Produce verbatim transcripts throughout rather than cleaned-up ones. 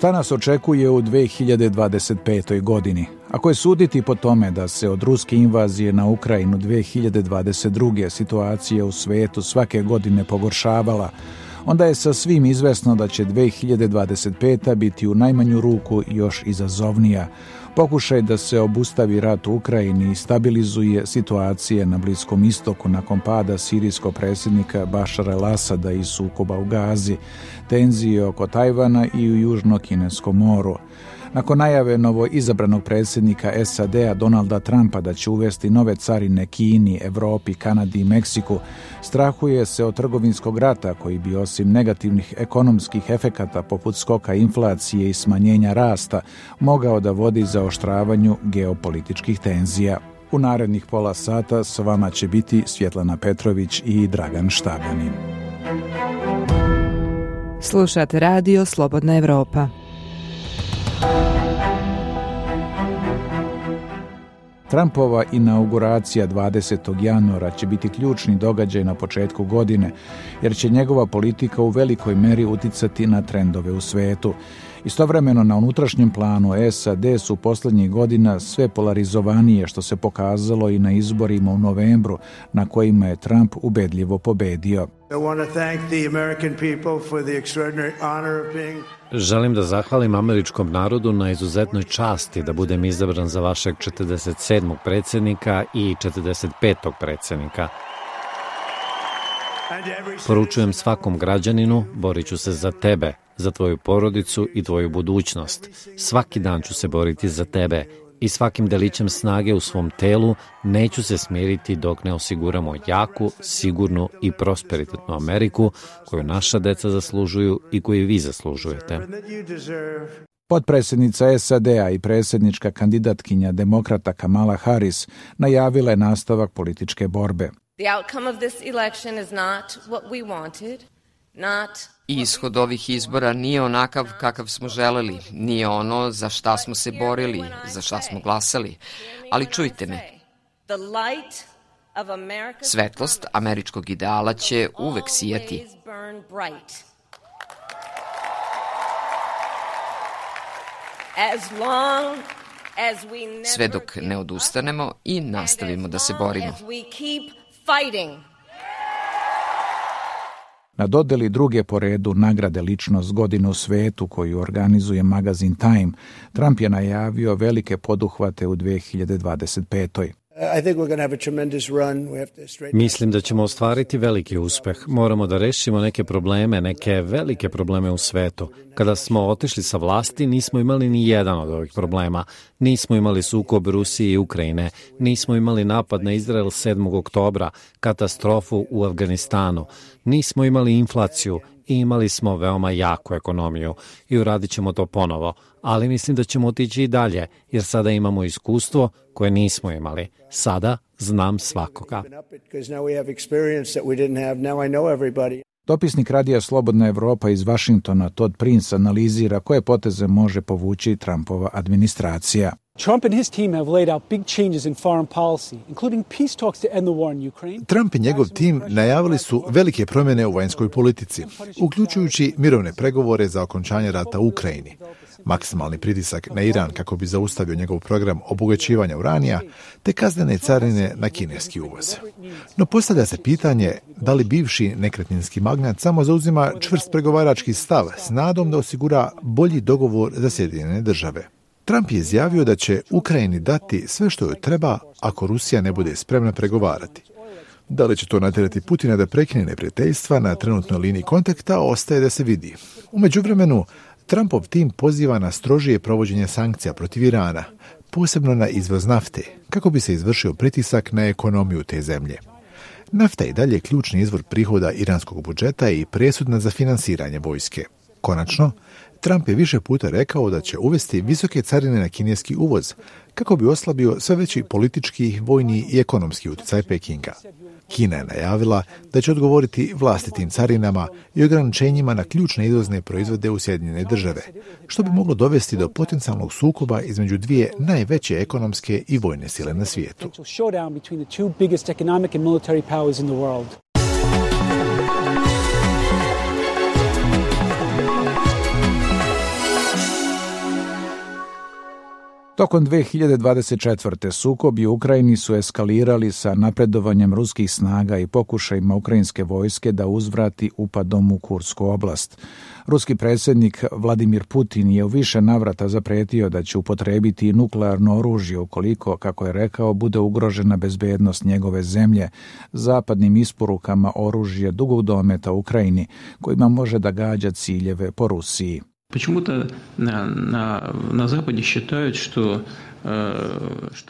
Šta nas očekuje u dve hiljade dvadeset petoj. godini? Ako je suditi po tome da se od ruske invazije na Ukrajinu dve hiljade dvadeset druge situacija u svetu svake godine pogoršavala, onda je sa svim izvesno da će dve hiljade dvadeset peta. biti u najmanju ruku još izazovnija. Pokušaj da se obustavi rat u Ukrajini i stabilizuje situacije na Bliskom istoku nakon pada sirijskog predsjednika Bašara el-Asada i sukoba u Gazi, tenzije oko Tajvana i u Južno-Kineskom moru. Nakon najave novoizabranog predsjednika S A D-a Donalda Trumpa da će uvesti nove carine Kini, Evropi, Kanadi i Meksiku, strahuje se od trgovinskog rata koji bi osim negativnih ekonomskih efekata poput skoka inflacije i smanjenja rasta mogao da vodi zaoštravanju geopolitičkih tenzija. U narednih pola sata s vama će biti Svjetlana Petrović i Dragan Štabanin. Slušate radio Slobodna Evropa. Trumpova inauguracija dvadesetog januara će biti ključni događaj na početku godine, jer će njegova politika u velikoj meri uticati na trendove u svetu. Istovremeno na unutrašnjem planu S A D su posljednjih godina sve polarizovanije, što se pokazalo i na izborima u novembru, na kojima je Trump ubedljivo pobedio. Želim da zahvalim američkom narodu na izuzetnoj časti da budem izabran za vašeg četrdeset sedmog predsjednika i četrdeset petog predsjednika. Poručujem svakom građaninu, borit ću se za tebe, za tvoju porodicu i tvoju budućnost. Svaki dan ću se boriti za tebe i svakim delićem snage u svom telu neću se smiriti dok ne osiguramo jaku, sigurnu i prosperitetnu Ameriku koju naša deca zaslužuju i koju vi zaslužujete. Potpredsjednica S A D-a i predsjednička kandidatkinja demokrata Kamala Harris najavila je nastavak političke borbe. The outcome of this election is not what we wanted, not Ishod ovih izbora nije onakav kakav smo želeli, nije ono za šta smo se borili, za šta smo glasali. Ali čujte me, svetlost američkog ideala će uvek sijati. Sve dok ne odustanemo i nastavimo da se borimo. Na dodeli druge po redu nagrade Ličnost godine u svetu koju organizuje magazin Time, Trump je najavio velike poduhvate u dve hiljade dvadeset petoj. Mislim da ćemo ostvariti veliki uspeh. Moramo da rešimo neke probleme, neke velike probleme u svetu. Kada smo otišli sa vlasti, nismo imali ni jedan od ovih problema. Nismo imali sukob Rusije i Ukrajine, nismo imali napad na Izrael sedmog oktobra, katastrofu u Afganistanu, nismo imali inflaciju i imali smo veoma jaku ekonomiju i uradit ćemo to ponovo. Ali mislim da ćemo otići i dalje, jer sada imamo iskustvo koje nismo imali. Sada znam svakoga. Dopisnik radija Slobodna Evropa iz Vašingtona Todd Prince analizira koje poteze može povući Trumpova administracija. Trump and his team have laid out big changes in foreign policy, including peace talks to end the war in Ukraine. Trump i njegov tim najavili su velike promjene u vanjskoj politici, uključujući mirovne pregovore za okončanje rata u Ukrajini, maksimalni pritisak na Iran kako bi zaustavio njegov program obogaćivanja uranija, te kaznene carine na kineski uvoz. No postavlja se pitanje da li bivši nekretninski magnat samo zauzima čvrst pregovarački stav s nadom da osigura bolji dogovor za Sjedinjene države. Trump je izjavio da će Ukrajini dati sve što joj treba ako Rusija ne bude spremna pregovarati. Da li će to natjerati Putina da prekine neprijateljstva na trenutnoj liniji kontakta, ostaje da se vidi. U međuvremenu, Trumpov tim poziva na strožije provođenje sankcija protiv Irana, posebno na izvoz nafte, kako bi se izvršio pritisak na ekonomiju te zemlje. Nafta je dalje ključni izvor prihoda iranskog budžeta i presudna za finansiranje vojske. Konačno, Trump je više puta rekao da će uvesti visoke carine na kineski uvoz, kako bi oslabio sve veći politički, vojni i ekonomski utjecaj Pekinga. Kina je najavila da će odgovoriti vlastitim carinama i ograničenjima na ključne izvozne proizvode u Sjedinjene države, što bi moglo dovesti do potencijalnog sukoba između dvije najveće ekonomske i vojne sile na svijetu. Tokom dve hiljade dvadeset četvrte. sukobi u Ukrajini su eskalirali sa napredovanjem ruskih snaga i pokušajima ukrajinske vojske da uzvrati upadom u Kursku oblast. Ruski predsjednik Vladimir Putin je u više navrata zapretio da će upotrijebiti nuklearno oružje ukoliko, kako je rekao, bude ugrožena bezbednost njegove zemlje zapadnim isporukama oružja dugog dometa Ukrajini, kojima može da gađa ciljeve po Rusiji. Почему-то на, на, на Западе считают, что...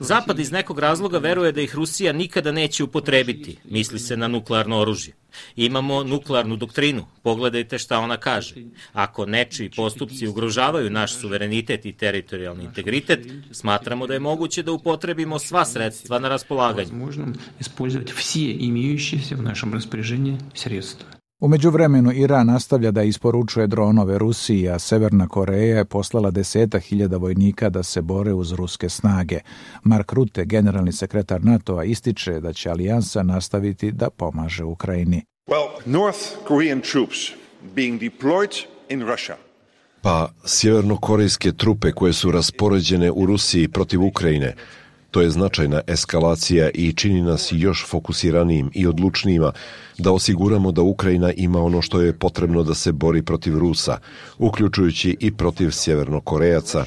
Zapad iz nekog razloga veruje da ih Rusija nikada neće upotrebiti, misli se na nuklearno oružje. Imamo nuklearnu doktrinu, pogledajte šta ona kaže. Ako nečiji postupci ugrožavaju naš suverenitet i teritorijalni integritet, smatramo da je moguće da upotrebimo sva sredstva na raspolaganju. Možemo ispoljavati sve imajućise u našem raspoređenju sredstva. U međuvremenu Iran nastavlja da isporučuje dronove Rusiji, a Severna Koreja je poslala deseta hiljada vojnika da se bore uz ruske snage. Mark Rutte, generalni sekretar NATO-a, ističe da će alijansa nastaviti da pomaže Ukrajini. Well, North Korean troops being deployed in Russia. Pa sjevernokorejske trupe koje su raspoređene u Rusiji protiv Ukrajine, to je značajna eskalacija i čini nas još fokusiranijim i odlučnijima da osiguramo da Ukrajina ima ono što je potrebno da se bori protiv Rusa, uključujući i protiv Sjevernokorejaca.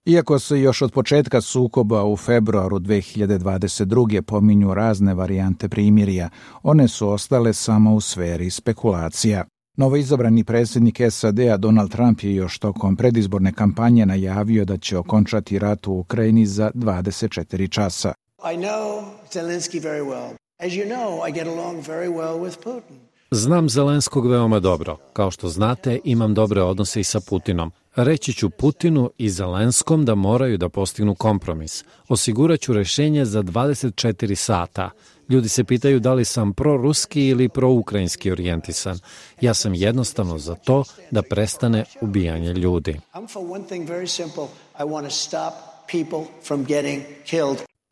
Iako se još od početka sukoba u februaru dve hiljade dvadeset druge. pominju razne varijante primirja, one su ostale samo u sferi spekulacija. Novoizabrani predsjednik S A D-a Donald Trump je još tokom predizborne kampanje najavio da će okončati rat u Ukrajini za dvadeset četiri časa. I know Zelensky very well. As you know, I get along very well with Putin. Znam Zelenskog veoma dobro. Kao što znate, imam dobre odnose i sa Putinom. Reći ću Putinu i Zelenskom da moraju da postignu kompromis. Osiguraću rešenje za dvadeset četiri sata. Ljudi se pitaju da li sam proruski ili proukrajinski orijentisan. Ja sam jednostavno za to da prestane ubijanje ljudi.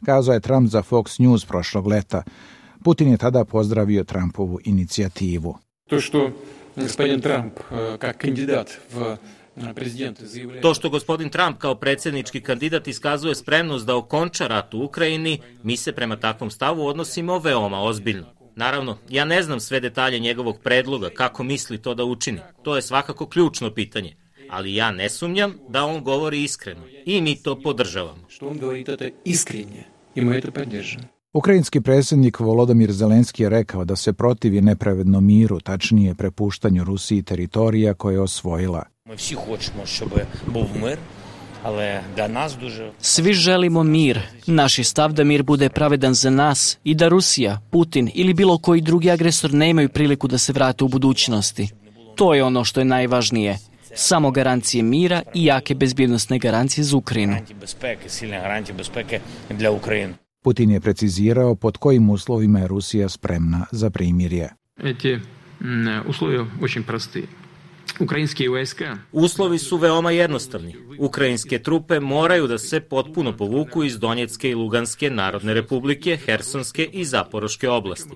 Kazao je Trump za Fox News prošlog leta. Putin je tada pozdravio Trumpovu inicijativu. To što gospodin Trump kao kandidat v To što gospodin Trump kao predsjednički kandidat iskazuje spremnost da okonča rat u Ukrajini, mi se prema takvom stavu odnosimo veoma ozbiljno. Naravno, ja ne znam sve detalje njegovog predloga, kako misli to da učini. To je svakako ključno pitanje. Ali ja ne sumnjam da on govori iskreno i mi to podržavamo. Što on govori to iskrenje i mi to podržavamo. Ukrajinski predsjednik Volodymyr Zelenski je rekao da se protivi nepravednom miru, tačnije prepuštanju Rusiji teritorija koje je osvojila. Svi želimo mir. Naš je stav da mir bude pravedan za nas i da Rusija, Putin ili bilo koji drugi agresor ne imaju priliku da se vrate u budućnosti. To je ono što je najvažnije. Samo garancije mira i jake bezbjednosne garancije za Ukrajinu. Putin je precizirao pod kojim uslovima je Rusija spremna za primirje. Eti uslovi очень простые. Ukrajinske vojska. Uslovi su veoma jednostavni. Ukrajinske trupe moraju da se potpuno povuku iz Donjecke i Luganske narodne republike, Hersonske i Zaporoške oblasti.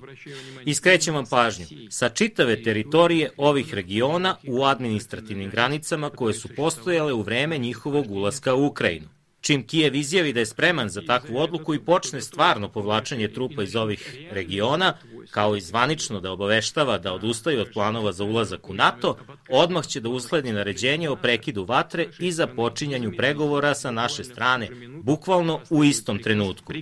Iskrećem vam pažnju, sa čitave teritorije ovih regiona u administrativnim granicama koje su postojale u vreme njihovog ulaska u Ukrajinu. Čim Kijev izjavi da je spreman za takvu odluku i počne stvarno povlačenje trupa iz ovih regiona, kao i zvanično da obaveštava da odustaju od planova za ulazak u NATO, odmah će da usledi naređenje o prekidu vatre i započinjanju pregovora sa naše strane, bukvalno u istom trenutku.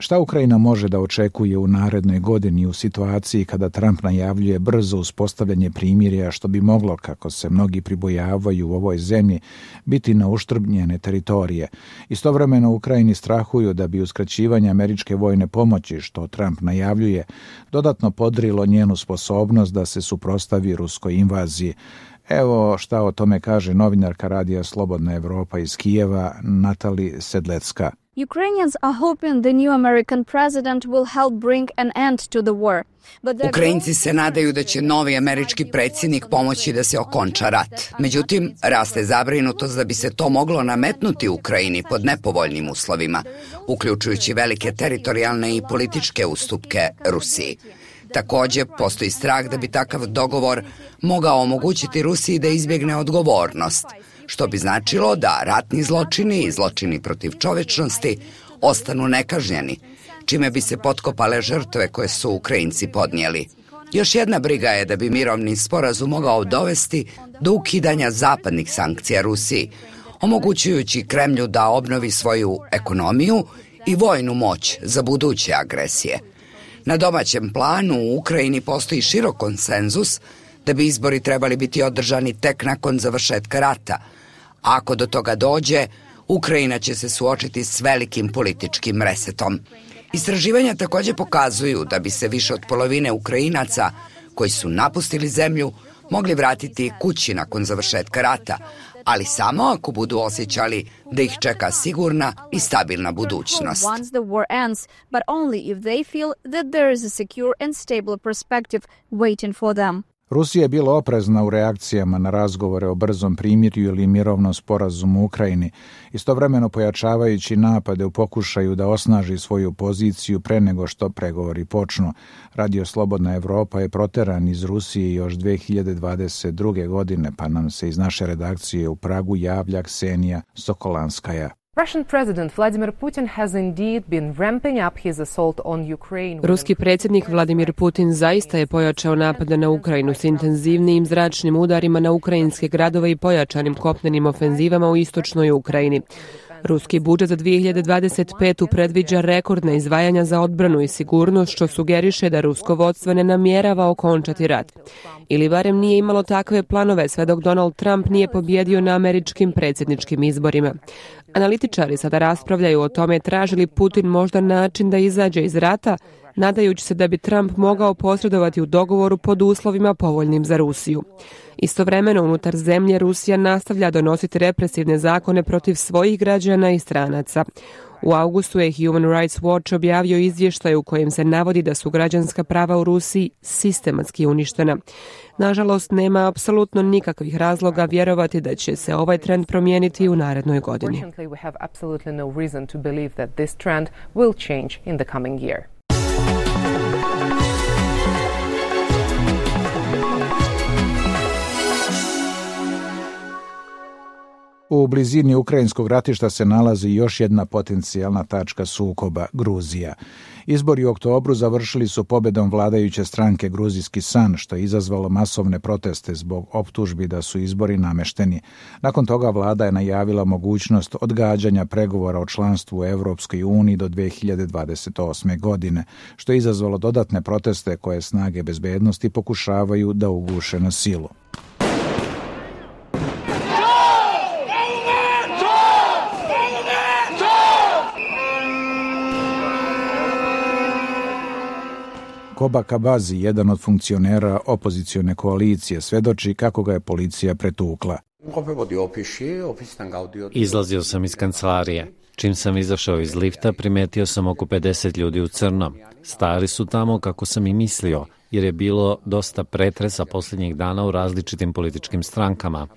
Šta Ukrajina može da očekuje u narednoj godini u situaciji kada Trump najavljuje brzo uspostavljanje primirja, što bi moglo, kako se mnogi pribojavaju u ovoj zemlji, biti na uštrb njene teritorije? Istovremeno Ukrajini strahuju da bi uskraćivanje američke vojne pomoći, što Trump najavljuje, dodatno podrilo njenu sposobnost da se suprotstavi ruskoj invaziji. Evo šta o tome kaže novinarka radija Slobodna Evropa iz Kijeva, Natali Sedlecka. Ukrainians are hoping the new American president will help bring an end to the war. Ukrajinci se nadaju da će novi američki predsjednik pomoći da se okonča rat. Međutim, raste zabrinutost da bi se to moglo nametnuti Ukrajini pod nepovoljnim uslovima, uključujući velike teritorijalne i političke ustupke Rusiji. Takođe, postoji strah da bi takav dogovor mogao omogućiti Rusiji da izbjegne odgovornost, što bi značilo da ratni zločini i zločini protiv čovečnosti ostanu nekažnjeni, čime bi se potkopale žrtve koje su Ukrajinci podnijeli. Još jedna briga je da bi mirovni sporazum mogao dovesti do ukidanja zapadnih sankcija Rusiji, omogućujući Kremlju da obnovi svoju ekonomiju i vojnu moć za buduće agresije. Na domaćem planu u Ukrajini postoji širok konsenzus da bi izbori trebali biti održani tek nakon završetka rata. Ako do toga dođe, Ukrajina će se suočiti s velikim političkim resetom. Istraživanja takođe pokazuju da bi se više od polovine Ukrajinaca koji su napustili zemlju mogli vratiti kući nakon završetka rata, ali samo ako budu osjećali da ih čeka sigurna i stabilna budućnost. Rusija je bila oprezna u reakcijama na razgovore o brzom primirju ili mirovnom sporazumu u Ukrajini, istovremeno pojačavajući napade u pokušaju da osnaži svoju poziciju pre nego što pregovori počnu. Radio Slobodna Evropa je proteran iz Rusije još dve hiljade dvadeset druge. godine, pa nam se iz naše redakcije u Pragu javlja Ksenija Sokolanskaja. Russian President Vladimir Putin has indeed been ramping up his assault on Ukraine. Ruski predsjednik Vladimir Putin zaista je pojačao napade na Ukrajinu s intenzivnijim zračnim udarima na ukrajinske gradove i pojačanim kopnenim ofenzivama u istočnoj Ukrajini. Ruski budžet za dve hiljade dvadeset petu. predviđa rekordna izdvajanja za odbranu i sigurnost, što sugeriše da rusko vodstvo ne namjerava okončati rat. Ili barem nije imalo takve planove sve dok Donald Trump nije pobjedio na američkim predsjedničkim izborima. Analitičari sada raspravljaju o tome traži li Putin možda način da izađe iz rata, nadajući se da bi Trump mogao posredovati u dogovoru pod uslovima povoljnim za Rusiju. Istovremeno, unutar zemlje Rusija nastavlja donositi represivne zakone protiv svojih građana i stranaca. U augustu je Human Rights Watch objavio izvještaj u kojem se navodi da su građanska prava u Rusiji sistematski uništena. Nažalost, nema apsolutno nikakvih razloga vjerovati da će se ovaj trend promijeniti u narednoj godini. U blizini ukrajinskog ratišta se nalazi još jedna potencijalna tačka sukoba, Gruzija. Izbori u oktobru završili su pobjedom vladajuće stranke Gruzijski san, što je izazvalo masovne proteste zbog optužbi da su izbori namešteni. Nakon toga vlada je najavila mogućnost odgađanja pregovora o članstvu u Evropskoj uniji do dve hiljade dvadeset osme. godine, što je izazvalo dodatne proteste koje snage bezbednosti pokušavaju da uguše na silu. Koba Kabazi, jedan od funkcionera opozicione koalicije, svedoči kako ga je policija pretukla. Izlazio sam iz kancelarije. Čim sam izašao iz lifta, primetio sam oko pedeset ljudi u crnom. Stari su tamo kako sam i mislio, jer je bilo dosta pretresa posljednjih dana u različitim političkim strankama.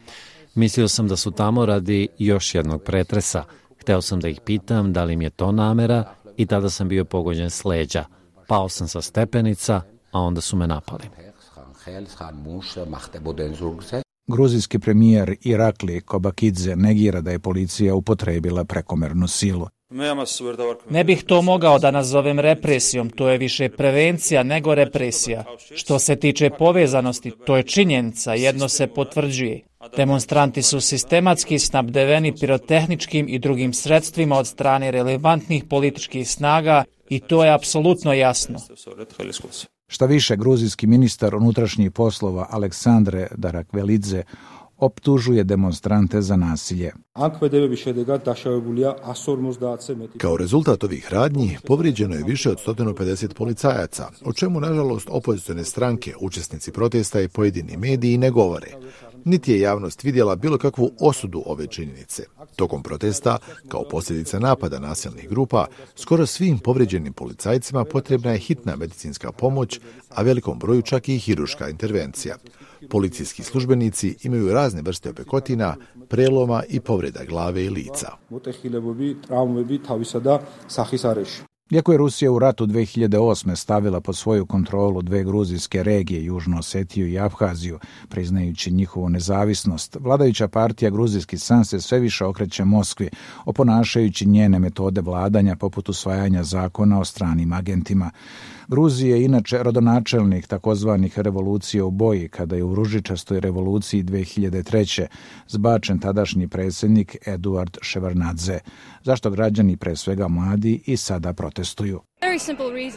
Mislio sam da su tamo radi još jednog pretresa. Hteo sam da ih pitam da li im je to namera i tada sam bio pogođen s leđa. Pao sam sa stepenica, a onda su me napali. Gruzijski premijer Irakli Kobakidze negira da je policija upotrebila prekomernu silu. Ne bih to mogao da nazovem represijom, to je više prevencija nego represija. Što se tiče povezanosti, to je činjenica, jedno se potvrđuje. Demonstranti su sistematski snabdeveni pirotehničkim i drugim sredstvima od strane relevantnih političkih snaga i to je apsolutno jasno. Šta više, gruzijski ministar unutrašnjih poslova Aleksandre Darakvelidze optužuje demonstrante za nasilje. Kao rezultat ovih radnji povrijeđeno je više od sto pedeset policajaca, o čemu nažalost opozicione stranke, učesnici protesta i pojedini mediji ne govore. Niti je javnost vidjela bilo kakvu osudu ove činjenice. Tokom protesta, kao posljedica napada nasilnih grupa, skoro svim povrijeđenim policajcima potrebna je hitna medicinska pomoć, a velikom broju čak i hirurška intervencija. Policijski službenici imaju razne vrste opekotina, preloma i povreda glave i lica. Iako je Rusija u ratu dve hiljade osme stavila pod svoju kontrolu dve gruzijske regije, Južnu Osetiju i Abhaziju, priznajući njihovu nezavisnost, vladajuća partija Gruzijski san se sve više okreće Moskvi, oponašajući njene metode vladanja poput usvajanja zakona o stranim agentima. Gruzija je inače rodonačelnik takozvanih revolucija u boji, kada je u ružičastoj revoluciji dve hiljade treće zbačen tadašnji predsjednik Eduard Ševarnadze, zašto građani, pre svega mladi, i sada protestuju.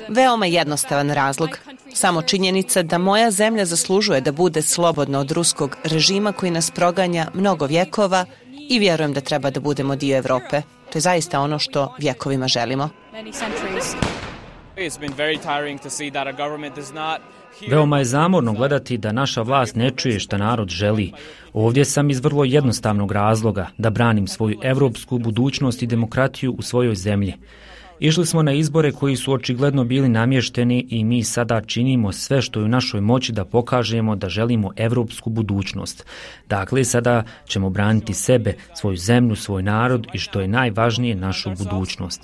Veoma jednostavan razlog. Samo činjenica da moja zemlja zaslužuje da bude slobodna od ruskog režima koji nas proganja mnogo vjekova i vjerujem da treba da budemo dio Evrope. To je zaista ono što vjekovima želimo. Veoma je zamorno gledati da naša vlast ne čuje šta narod želi. Ovdje sam iz vrlo jednostavnog razloga, da branim svoju evropsku budućnost i demokratiju u svojoj zemlji. Išli smo na izbore koji su očigledno bili namješteni i mi sada činimo sve što je u našoj moći da pokažemo da želimo evropsku budućnost. Dakle, sada ćemo braniti sebe, svoju zemlju, svoj narod i što je najvažnije, našu budućnost.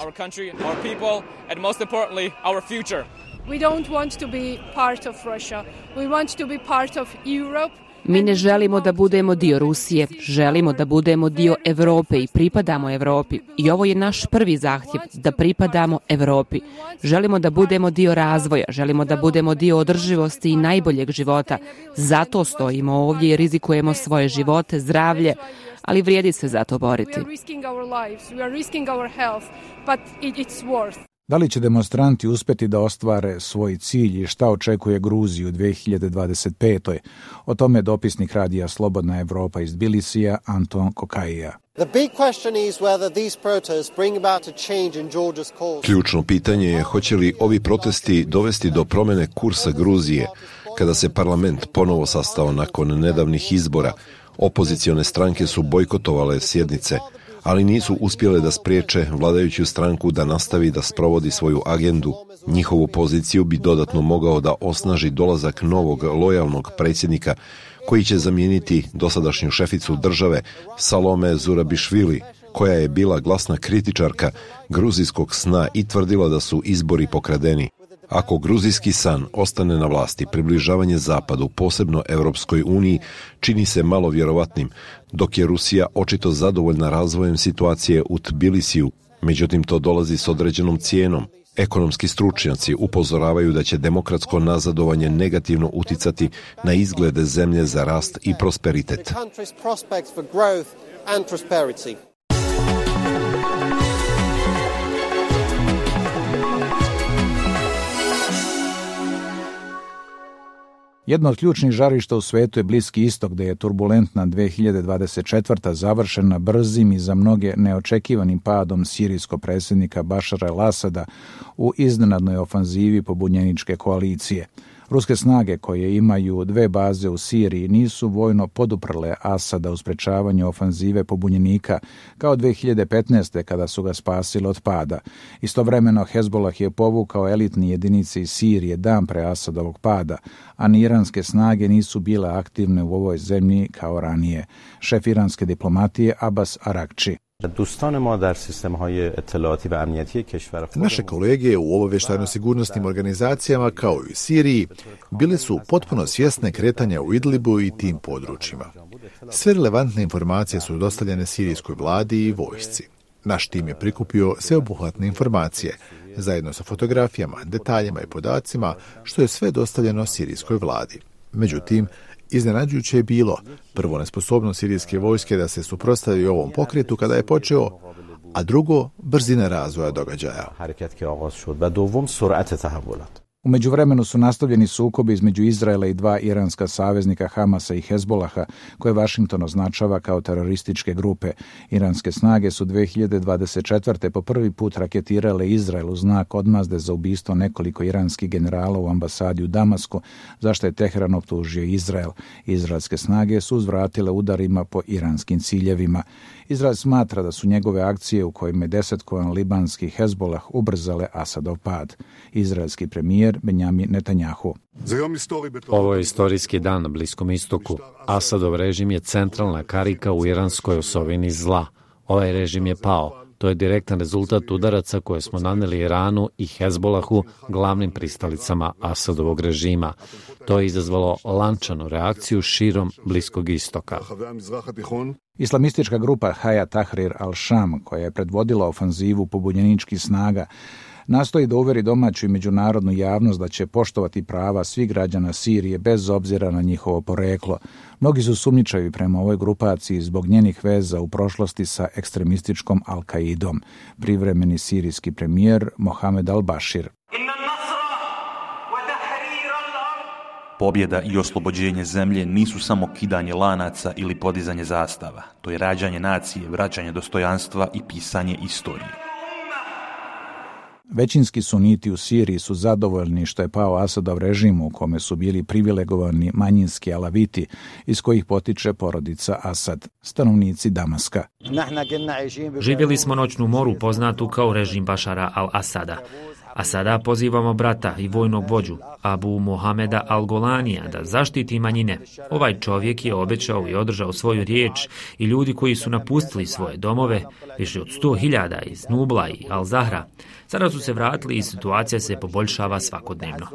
We don't want to be part of Russia. We want to be part of Europe. Mi ne želimo da budemo dio Rusije, želimo da budemo dio Evrope i pripadamo Evropi. I ovo je naš prvi zahtjev, da pripadamo Evropi. Želimo da budemo dio razvoja, želimo da budemo dio održivosti i najboljeg života. Zato stojimo ovdje i rizikujemo svoje živote, zdravlje, ali vrijedi se za to boriti. Da li će demonstranti uspjeti da ostvare svoj cilj i šta očekuje Gruziju u dve hiljade dvadeset petoj? O tome dopisnik radija Slobodna Evropa iz Tbilisija Anton Kokaija. Ključno pitanje je hoće li ovi protesti dovesti do promjene kursa Gruzije. Kada se parlament ponovo sastao nakon nedavnih izbora, opozicione stranke su bojkotovale sjednice, ali nisu uspjele da spriječe vladajuću stranku da nastavi da sprovodi svoju agendu. Njihovu poziciju bi dodatno mogao da osnaži dolazak novog lojalnog predsjednika koji će zamijeniti dosadašnju šeficu države Salome Zurabišvili, koja je bila glasna kritičarka gruzijskog sna i tvrdila da su izbori pokradeni. Ako gruzijski san ostane na vlasti, približavanje zapadu, posebno Europskoj uniji, čini se malo vjerovatnim, dok je Rusija očito zadovoljna razvojem situacije u Tbilisiju. Međutim, to dolazi s određenom cijenom. Ekonomski stručnjaci upozoravaju da će demokratsko nazadovanje negativno uticati na izglede zemlje za rast i prosperitet. Jedno od ključnih žarišta u svetu je Bliski istok, gdje je turbulentna dve hiljade dvadeset četvrta završena brzim i za mnoge neočekivanim padom sirijskog predsjednika Bašara el-Asada u iznenadnoj ofanzivi pobunjeničke koalicije. Ruske snage, koje imaju dve baze u Siriji, nisu vojno poduprle Asada u sprečavanju ofanzive pobunjenika, kao dve hiljade petnaeste. kada su ga spasili od pada. Istovremeno Hezbollah je povukao elitni jedinice iz Sirije dan pre Asadovog pada, a ni iranske snage nisu bile aktivne u ovoj zemlji kao ranije. Šef iranske diplomatije Abbas Arakči. Naše kolege u obavještajno-sigurnosnim organizacijama, kao i u Siriji, bile su potpuno svjesne kretanja u Idlibu i tim područjima. Sve relevantne informacije su dostavljene sirijskoj vladi i vojsci. Naš tim je prikupio sveobuhvatne informacije, zajedno sa fotografijama, detaljima i podacima, što je sve dostavljeno sirijskoj vladi. Međutim, iznenađujuće je bilo prvo nesposobnost sirijske vojske da se suprotstavi ovom pokretu kada je počeo, a drugo brzina razvoja događaja. U međuvremenu su nastavljeni sukobi između Izraela i dva iranska saveznika Hamasa i Hezbolaha, koje Washington označava kao terorističke grupe. Iranske snage su dve hiljade dvadeset četvrte. po prvi put raketirale Izrael u znak odmazde za ubistvo nekoliko iranskih generala u ambasadi u Damasku, zašto je Teheran optužio Izrael. Izraelske snage su uzvratile udarima po iranskim ciljevima. Izrael smatra da su njegove akcije u kojima je desetkovan libanski Hezbolah ubrzale Asadov pad. Izraelski premijer Benjamin Netanjahu. Ovo je istorijski dan na Bliskom istoku. Asadov režim je centralna karika u iranskoj osovini zla. Ovaj režim je pao. To je direktan rezultat udaraca koje smo naneli Iranu i Hezbolahu, glavnim pristalicama Asadovog režima. To je izazvalo lančanu reakciju širom Bliskog istoka. Islamistička grupa Hayat Tahrir al-Sham, koja je predvodila ofanzivu pobunjeničkih snaga, nastoji da uveri domaću i međunarodnu javnost da će poštovati prava svih građana Sirije bez obzira na njihovo poreklo. Mnogi su sumnjičavi prema ovoj grupaciji zbog njenih veza u prošlosti sa ekstremističkom Al-Kaidom. Privremeni sirijski premijer Mohamed al-Bashir. Pobjeda i oslobođenje zemlje nisu samo kidanje lanaca ili podizanje zastava. To je rađanje nacije, vraćanje dostojanstva i pisanje istorije. Većinski suniti u Siriji su zadovoljni što je pao Asadov režim u kome su bili privilegovani manjinski alaviti iz kojih potiče porodica Asad, stanovnici Damaska. Živjeli smo noćnu moru poznatu kao režim Bašara al-Asada. A sada pozivamo brata i vojnog vođu, Abu Mohameda al-Golanija, da zaštiti manjine. Ovaj čovjek je obećao i održao svoju riječ i ljudi koji su napustili svoje domove, više od sto hiljada iz Nubla i Al-Zahra, sada su se vratili i situacija se poboljšava svakodnevno.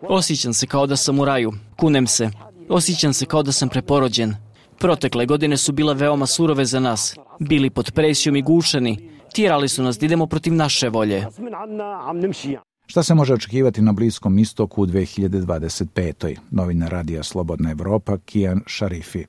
Osjećam se kao da sam u raju, kunem se. Osjećam se kao da sam preporođen. Protekle godine su bile veoma surove za nas. Bili pod presijom i gušeni. Tjerali su nas da idemo protiv naše volje. Šta se može očekivati na Bliskom istoku u dve hiljade dvadeset petoj. Novinar radija Slobodna Evropa, Kian Šarifi.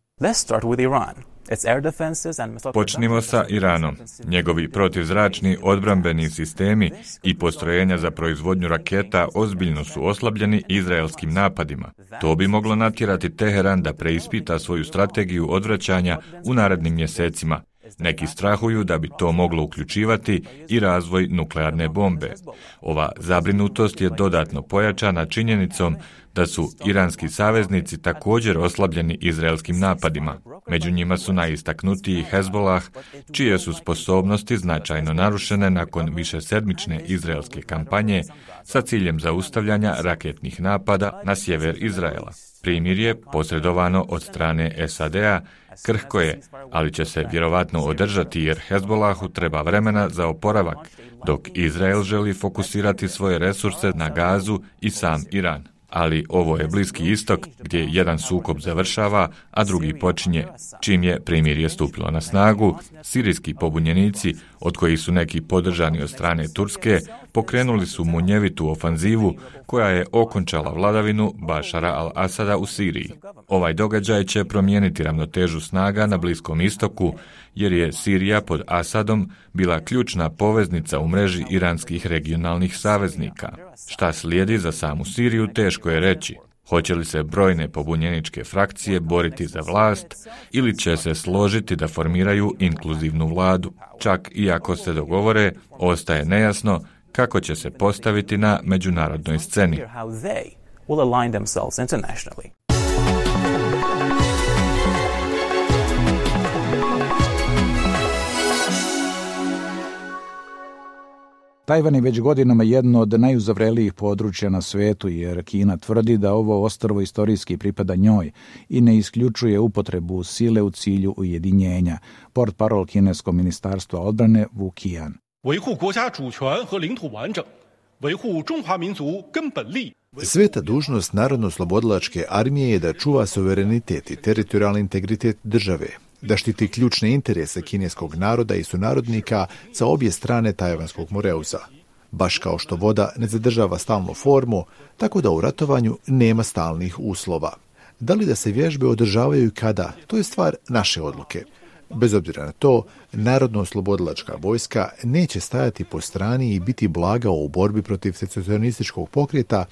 Počnimo sa Iranom. Njegovi protivzračni odbrambeni sistemi i postrojenja za proizvodnju raketa ozbiljno su oslabljeni izraelskim napadima. To bi moglo natjerati Teheran da preispita svoju strategiju odvraćanja u narednim mjesecima. Neki strahuju da bi to moglo uključivati i razvoj nuklearne bombe. Ova zabrinutost je dodatno pojačana činjenicom da su iranski saveznici također oslabljeni izraelskim napadima. Među njima su najistaknutiji Hezbolah, čije su sposobnosti značajno narušene nakon višesedmične izraelske kampanje sa ciljem zaustavljanja raketnih napada na sjever Izraela. Primjer je posredovano od strane S A D-a, krhko je, ali će se vjerovatno održati jer Hezbolahu treba vremena za oporavak, dok Izrael želi fokusirati svoje resurse na Gazu i sam Iran. Ali ovo je Bliski istok gdje jedan sukob završava, a drugi počinje. Čim je primirje stupilo na snagu, sirijski pobunjenici, od kojih su neki podržani od strane Turske, pokrenuli su munjevitu ofanzivu koja je okončala vladavinu Bašara al-Asada u Siriji. Ovaj događaj će promijeniti ravnotežu snaga na Bliskom istoku, jer je Sirija pod Asadom bila ključna poveznica u mreži iranskih regionalnih saveznika. Šta slijedi za samu Siriju teško je reći. Hoće li se brojne pobunjeničke frakcije boriti za vlast ili će se složiti da formiraju inkluzivnu vladu? Čak i ako se dogovore, ostaje nejasno kako će se postaviti na međunarodnoj sceni. Tajvan je već godinama jedno od najuzavrelijih područja na svetu, jer Kina tvrdi da ovo ostrvo istorijski pripada njoj i ne isključuje upotrebu sile u cilju ujedinjenja. Portparol kineskog ministarstva odbrane Wu Qian. Sveta dužnost Narodno-oslobodilačke armije je da čuva suverenitet i teritorijalni integritet države, da štiti ključne interese kineskog naroda i sunarodnika sa obje strane Tajvanskog moreuza. Baš kao što voda ne zadržava stalnu formu, tako da u ratovanju nema stalnih uslova. Da li da se vježbe održavaju i kada, to je stvar naše odluke. Bez obzira na to, Narodno-oslobodilačka vojska neće stajati po strani i biti blaga u borbi protiv secesionističkog pokreta,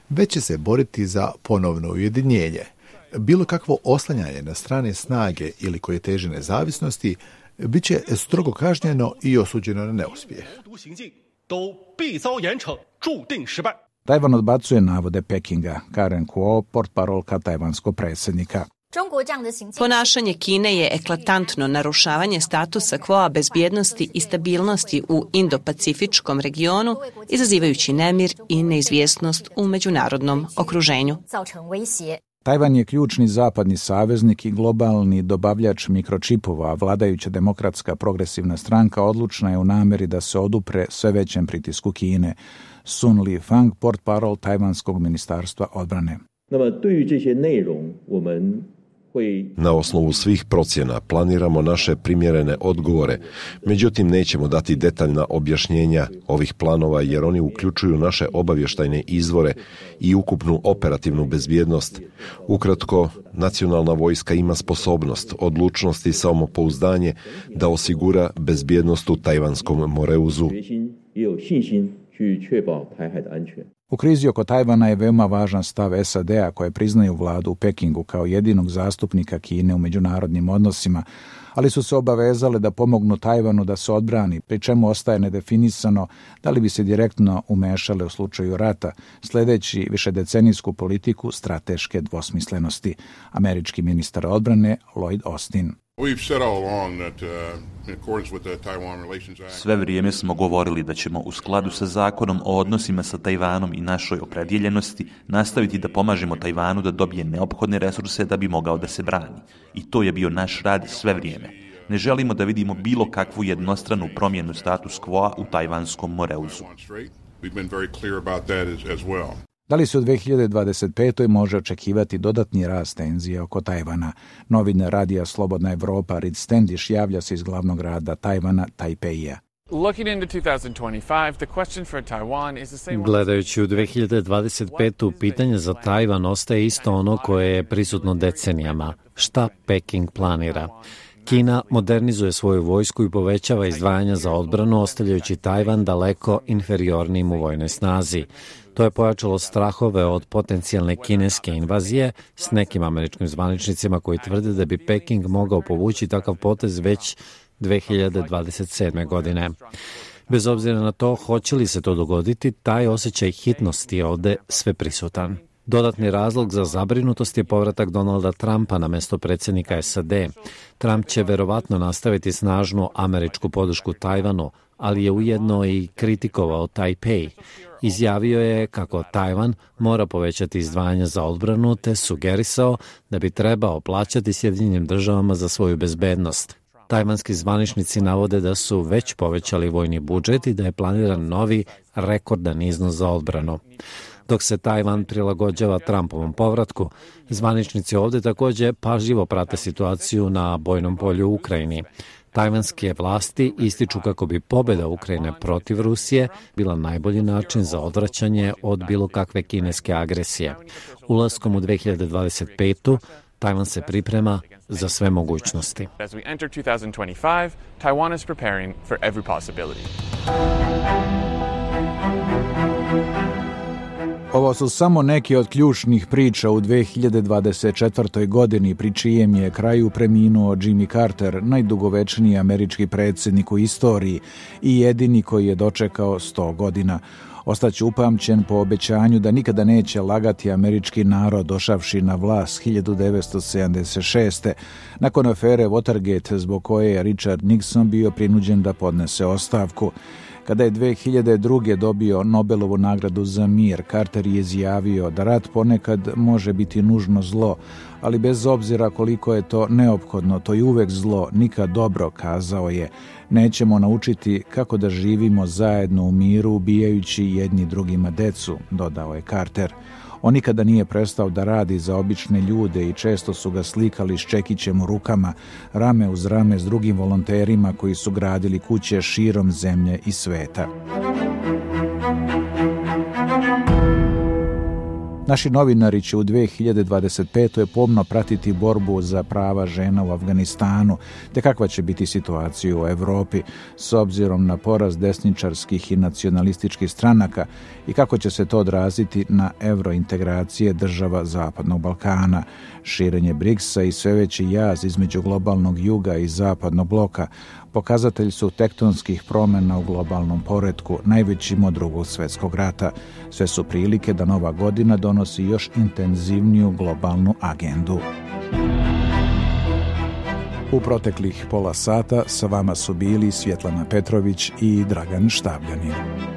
već će se boriti za ponovno ujedinjenje. Bilo kakvo oslanjanje na strane snage ili koje teže nezavisnosti bit će strogo kažnjeno i osuđeno na neuspjeh. Tajvan odbacuje navode Pekinga. Karen Kuo, portparolka tajvanskog predsjednika. Ponašanje Kine je eklatantno narušavanje statusa quoa bezbjednosti i stabilnosti u Indo-Pacifičkom regionu, izazivajući nemir i neizvjesnost u međunarodnom okruženju. Tajvan je ključni zapadni saveznik i globalni dobavljač mikročipova, a vladajuća demokratska progresivna stranka odlučna je u nameri da se odupre sve većem pritisku Kine. Sun Li-fang, portparol Tajvanskog ministarstva odbrane. Na osnovu svih procjena planiramo naše primjerene odgovore, međutim nećemo dati detaljna objašnjenja ovih planova jer oni uključuju naše obavještajne izvore i ukupnu operativnu bezbjednost. Ukratko, nacionalna vojska ima sposobnost, odlučnost i samopouzdanje da osigura bezbjednost u Tajvanskom moreuzu. U krizi oko Tajvana je veoma važan stav S A D-a koje priznaju vladu u Pekingu kao jedinog zastupnika Kine u međunarodnim odnosima, ali su se obavezale da pomognu Tajvanu da se odbrani, pri čemu ostaje nedefinisano da li bi se direktno umešale u slučaju rata, sledeći višedecenijsku politiku strateške dvosmislenosti. Američki ministar odbrane Lloyd Austin. Sve vrijeme smo govorili da ćemo u skladu sa zakonom o odnosima sa Tajvanom i našoj opredjeljenosti nastaviti da pomažemo Tajvanu da dobije neophodne resurse da bi mogao da se brani. I to je bio naš rad sve vrijeme. Ne želimo da vidimo bilo kakvu jednostranu promjenu status quo u Tajvanskom moreuzu. Da li se u dve hiljade dvadeset petoj može očekivati dodatni rast tenzija oko Tajvana? Novinar radija Slobodna Evropa Reed Standish javlja se iz glavnog grada Tajvana, Tajpeija. Gledajući u dve hiljade dvadeset petu pitanje za Tajvan ostaje isto ono koje je prisutno decenijama. Šta Peking planira? Kina modernizuje svoju vojsku i povećava izdvajanja za odbranu, ostavljajući Tajvan daleko inferiornim u vojnoj snazi. To je pojačalo strahove od potencijalne kineske invazije s nekim američkim zvaničnicima koji tvrde da bi Peking mogao povući takav potez već dve hiljade dvadeset sedme. godine. Bez obzira na to hoće li se to dogoditi, taj osjećaj hitnosti je ovde sveprisutan. Dodatni razlog za zabrinutost je povratak Donalda Trumpa na mesto predsjednika S A D. Trump će verovatno nastaviti snažnu američku podršku Tajvanu, ali je ujedno i kritikovao Tajpej. Izjavio je kako Tajvan mora povećati izdvajanja za odbranu te sugerisao da bi trebao plaćati Sjedinjenim državama za svoju bezbednost. Tajvanski zvaničnici navode da su već povećali vojni budžet i da je planiran novi rekordan iznos za odbranu. Dok se Tajvan prilagođava Trumpovom povratku, zvaničnici ovdje također pažljivo prate situaciju na bojnom polju u Ukrajini. Tajvanske vlasti ističu kako bi pobjeda Ukrajine protiv Rusije bila najbolji način za odvraćanje od bilo kakve kineske agresije. Ulaskom u dve hiljade dvadeset petu. Tajvan se priprema za sve mogućnosti. Ovo su samo neke od ključnih priča u dve hiljade dvadeset četvrtoj. godini, pri čijem je kraju preminuo Jimmy Carter, najdugovečniji američki predsjednik u istoriji i jedini koji je dočekao sto godina. Ostaće upamćen po obećanju da nikada neće lagati američki narod došavši na vlast hiljadu devetsto sedamdeset šeste. nakon afere Watergate, zbog koje je Richard Nixon bio prinuđen da podnese ostavku. Kada je dve hiljade druge. dobio Nobelovu nagradu za mir, Carter je izjavio da rat ponekad može biti nužno zlo, ali bez obzira koliko je to neophodno, to je uvek zlo, nikad dobro, kazao je. Nećemo naučiti kako da živimo zajedno u miru, ubijajući jedni drugima decu, dodao je Carter. On nikada nije prestao da radi za obične ljude i često su ga slikali s čekićem u rukama, rame uz rame s drugim volonterima koji su gradili kuće širom zemlje i sveta. Naši novinari će u dve hiljade dvadeset petoj. pomno pratiti borbu za prava žena u Afganistanu, te kakva će biti situacija u Evropi s obzirom na porast desničarskih i nacionalističkih stranaka i kako će se to odraziti na evrointegracije država Zapadnog Balkana. Širenje briksa i sve veći jaz između globalnog juga i zapadnog bloka pokazatelj su tektonskih promjena u globalnom poretku, najvećim od Drugog svjetskog rata. Sve su prilike da nova godina donosi još intenzivniju globalnu agendu. U proteklih pola sata sa vama su bili Svjetlana Petrović i Dragan Štabljanin.